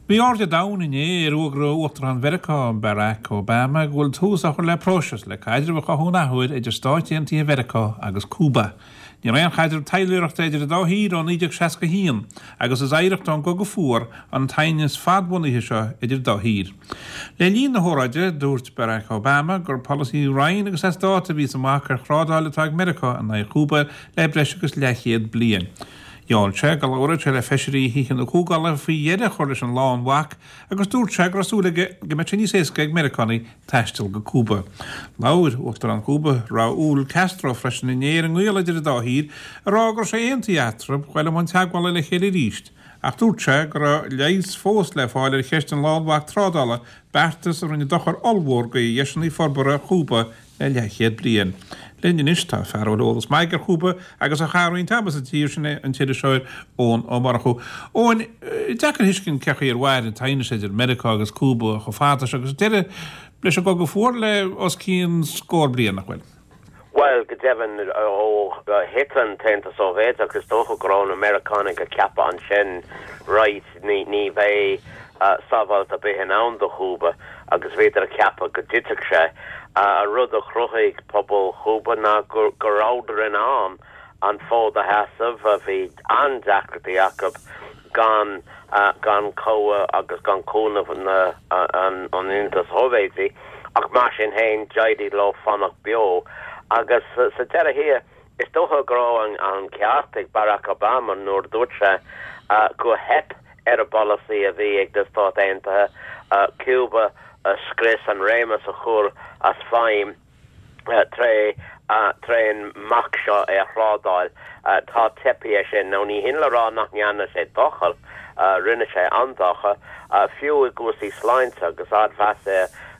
Bhí aird an domhain inné ar fhógra Uachtarán Mheiriceá, Barack Obama, go bhfuil tús á chur le próiseas le caidreamh a chothú an athuair idir Stáit Aontaithe Mheiriceá agus Cúba. Ní raibh aon chaidreamh taidhleoireachta idir an dá thír ó 1961 agus is oidhreacht ón gCogadh Fuar an t-aighneas fadbhunaithe seo idir an dá thír. Le linn na hóráide, dúirt Barack Obama gur polasaí righin agus as dáta a bhí sa mbac ar thrádáil atá ag Meiriceá in aghaidh Chúba le breis agus leathchéad bliain. Gheall sé go labhródh sé le feisirí Thithe na Comhdhála faoi dheireadh a chur leis an lánbhac agus dúirt sé go raibh súil aige go mbeadh sé níos éasca ag Meiriceánaigh taisteal go Cúba. Labhair Uachtarán Chúba, Raúl Castro, freisin inné ar an ngaol idir an dá thír, ag rá go raibh sé aontaithe eatarthu dul i mbun teagmhála le chéile arís, ach dúirt sé go raibh leigheas fós le fáil ar cheist an lánbhac trádála, beartas a rinne dochar ollmhór do dheiseanna forbartha Chúba le leathchéad bliain. Linn anois tá fear a bhfuil eolas maith aige ar Chúba agus a chaith roinnt ama sa tír sin, an t-iriseoir Eoin Ó Murchú. Eoin, deacair a thuiscint cén chaoi ar mhair an t-aighneas idir Meiriceá agus Cúba chomh fada seo agus deireadh leis an gCogadh Fuar le os cionn scór bliain, nach bhfuil? Bhuel, go deimhin, ó thit an tAontas Sóivéadach, is dócha go raibh na Meiriceánaigh ag ceapadh ansin, right, ní bheidh sábháilt ar bith in ann do Chúba agus bhíodar ag ceapadh go dtitfeadh sé. An rud a chruthaigh pobal Chúba ná go rabhadar in ann an fód a sheasamh. Bhí an-deacrachtaí acu gan gan cabhair agus gan cúnamh na an Aontais Shóivéadaigh ach mar sin féin d'éirigh leo fanacht beo agus sa deireadh thiar Is dócha go raibh an ceart ag Barack Obama nuair a dúirt sé gur theip ar an bpolasaí a bhí ag na Stáit Aontaithe Cúba a scrios, an réimeas a chur as feidhm tré trén mbac seo ar thrádáil. Tá teipthe air sin. Now ní hin le rá nach ndearna sé dochar, rinne sé an-dochar, fiú i gcúrsaí sláinte agus ardmheas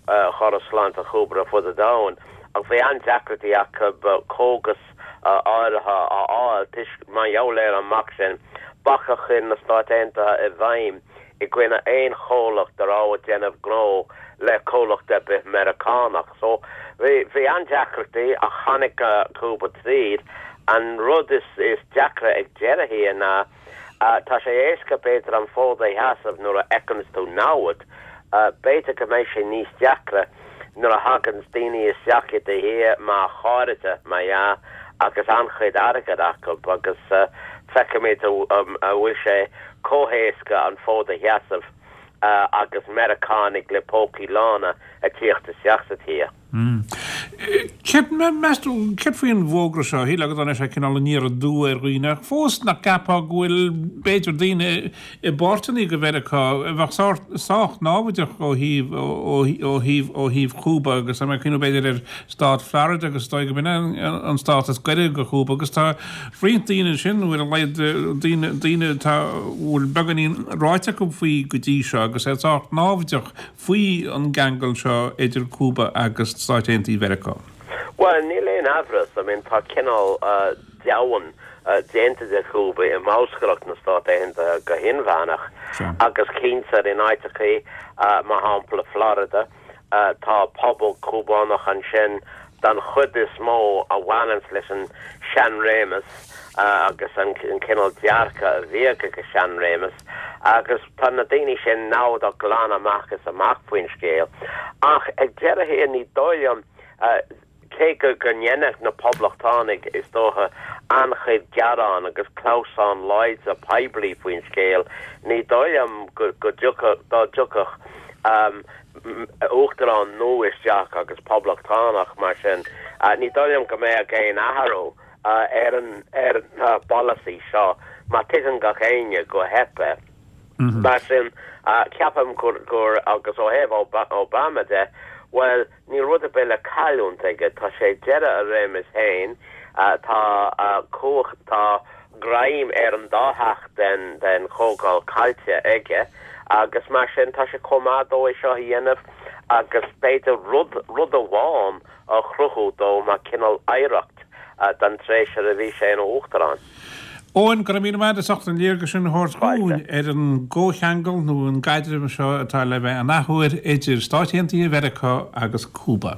ar chóras sláinte Chúba ar fud an domhain. Ach bhí an-deacrachtaí acu cógas áirithe a fháil toisc, mar gheall ar an mbac sin, bac a chuir na Stáit Aontaithe i bhfeidhm i gcoinne aon chomhlacht a raibh ag déanamh gnó le comhlacht ar bith Meiriceánach. So, bhí an-deacrachtaí ach tháinig Cúba tríd. An rud is deacra ag deireadh thiar ná, tá sé éasca b'fhéidir an fód a sheasamh nuair a fheiceanns tú namhaid, b'fhéidir go mbeidh sé níos deacra nuair a thaganns daoine isteach i do thír mar chairde, mar dhea, agus an-chuid airgid acu agus feicfimid an bhfuil sé chomh héasca an fód a sheasamh agus Meiriceánaigh le pócaí lána ag tíocht isteach sa tír. Céard, meas tú, céard faoi an bhfógra seo? Shílfeá go dtáinig sé cineál aniar aduaidh ar dhaoine, ach fós nach gceapfá go bhfuil, b'fhéidir, daoine i bpáirteanna de Mheiriceá a bheadh sách námhaideach ó thaobh, ó thaobh, ó thaobh Chúba agus tá mé ag cuimhneamh b'fhéidir ar stát Florida agus is dóigh go b'in an stát is gaire do Chúba agus tá roinnt daoine ansin, nó ar a laghad daoine, daoine atá, a bhfuil beagáinín ráite acu faoi go dtí seo agus iad sách námhaideach faoi an gceangal seo idir Cúba agus Stáit Aontaithe Mheiriceá? Bhuel, níl aon amhras, I mean tá cineál deamhan déanta de Chúba i mbolscaireacht na Stát Aontaithe go hinmheánach agus cinnte in áiteachaí, mar shampla Florida, tá pobal Cúbánach ansin don chuid is mó a bhaineanns leis an seanréimeas agus an cineál dearcadh a bhíodh ag an seanréimeas agus tá na daoine sin namhadach glan amach is amach faoin scéal. Ach ag deireadh thiar ní dóigh liom, cé go go ndéanfadh na Poblachtánaigh is dócha an-chuid gearán agus clamhsán láidir poiblí faoin scéal, ní dóigh liom go dtiocfadh, dá dtiocfadh Uachtarán nua isteach agus Poblachtánach mar sin, ní dóigh liom go mbeadh aon athrú ar an ar an bpolasaí seo mar tuigeann gach éinne gur theip é. Mar sin, ceapaim gur gur agus ó thaobh Obama de, bhuel, níl rud ar bith le cailliúint aige, tá sé ag deireadh a réimeas féin, tá cumhacht, tá greim ar an dá theach den den Chomhdháil caillte aige agus mar sin tá sé chomh maith dó é seo a dhéanamh agus b'fhéidir rud rud amháin a chruthú dó mar cineál oidhreacht don tréimhse a bhí sé ina Uachtarán. Eoin, go raibh míle maith agat as ucht an léargas sin a thabhairt dhúinn ar an gcomhcheangal nó an gcaidreamh seo atá le bheith an athuair idir Stáit Aontaithe Mheiriceá agus Cúba.